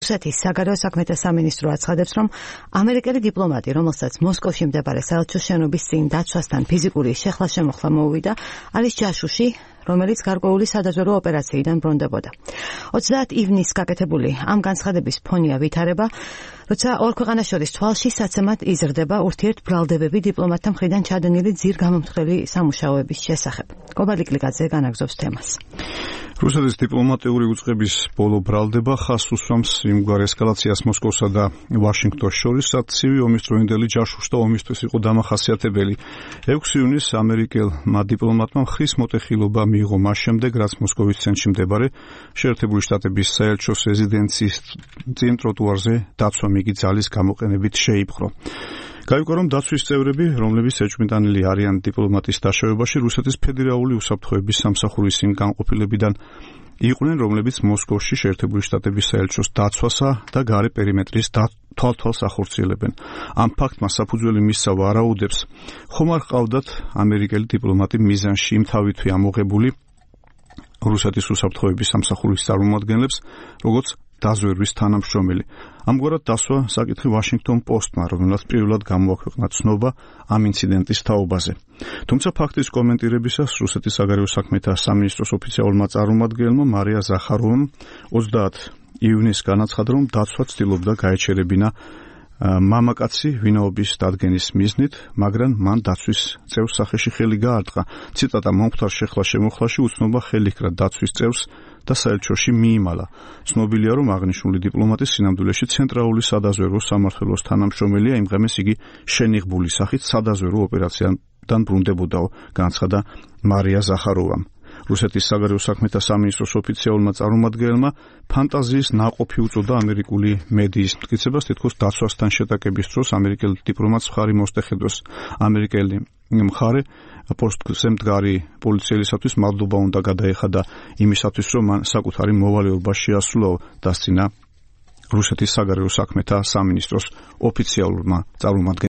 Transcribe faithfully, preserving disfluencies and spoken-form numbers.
რუსეთის საგარეო საქმეთა სამინისტრო აცხადებს, რომ ამერიკელი დიპლომატი, რომელსაც მოსკოვში მდებარე საელჩოს შენობის წინ დაცვასთან ფიზიკური შეხლა-შემოხლა მოუვიდა, არის ჯაშუში, რომელიც გარკვეული სადაზვერვო ოპერაციიდან ბრუნდებოდა. ოცდაათ ივნისს გაკეთებული ამ განცხადების ფონია ვითარება, როცა ორ ქვეყანას შორის თვალში საცემად იზრდება ურთიერთბრალდებები დიპლომატთა მხრიდან ჩადენილი ძირგამომთხრელი სამუშაოების შესახებ. კობალტ კლიკაძე განაგზობს თემას. რუსეთის დიპლომატიური უწყების ბოლო ბრალდება ხაზს უსვამს იმგვარ ესკალაციას მოსკოვსა და ვაშინგტონს შორის, რაც ცივი ომისდროინდელი ჯაშუშთა ომისთვის იყო დამახასიათებელი. ექვსი ივნისს ამერიკელმა დიპლომატმა ხის მოტეხილობა მიიღო მას შემდეგ, რაც მოსკოვის ცენტრში მდებარე შეერთებული შტატების საელჩოს რეზიდენციის წინ ტროტუარზე დაცვა მიგი ძალის გამოყენებით შეიპყრო. გაიგო, რომ დაცვის წევრები, რომლებიც ეჭვმიტანილი არიან დიპლომატის დაშავებაში, რუსეთის ფედერალური უსაფრთხოების სამსახურის იმ განყოფილებიდან იყვნენ, რომლებიც მოსკოვში შეერთებული შტატების საელჩოს დაცვასა და გარე პერიმეტრის თვალთვალს ახორციელებენ. ამ ფაქტმა საფუძველი მისცა ვარაუდებს, ხომ არ ჰყავდათ ამერიკელი დიპლომატი მიზანში იმთავითვე ამოღებული რუსეთის უსაფრთხოების სამსახურის წარმომადგენლებს, როგორც დაზვერვის თანამშრომელი. ამგვარად დასვა საკითხი ვაშინგტონ პოსტმა, რომელსაც პირველად გამოაქვეყნა ცნობა ამ ინციდენტის თაობაზე. თუმცა ფაქტის კომენტირებისას რუსეთის საგარეო საქმეთა სამინისტროს ოფიციალურმა წარმომადგენელმა მარია ზახაროვამ ოცდაათ ივნისს განაცხადა, რომ დაცვა ცდილობდა გაეჩერებინა მამაკაცი ვინაობის დადგენის მიზნით, მაგრამ მან დაცვის წევრს სახეში ხელი გაარტყა. ციტატა: მომხდარ შეხლა-შემოხლაში უცნობა ხელი ჰკრა დაცვის წევრს და საელჩოში მიიმალა. ცნობილია, რომ აღნიშნული დიპლომატი სინამდვილეში ცენტრალური სადაზვერვო სამმართველოს თანამშრომელია, იმ ღამეს იგი შენიღბული სახით სადაზვერვო ოპერაციიდან ბრუნდებოდაო, განაცხადა მარია ზახაროვამ. რუსეთის საგარეო საქმეთა სამინისტროს ოფიციალურმა წარმომადგენელმა ფანტაზიის ნაყოფი უწოდა ამერიკული მედიის მტკიცებას, თითქოს დაცვასთან შეტაკების დროს ამერიკელ დიპლომატს მხარი მოსტეხედოს. ამერიკელი მხარე პოსტზე მდგარი პოლიციელისათვის მადლობა უნდა გადაეხადა იმისათვის, რომ მან საკუთარი მოვალეობა შეასრულა, დასცინა რუსეთის საგარეო საქმეთა სამინისტროს ოფიციალურმა წარმომადგენელმა.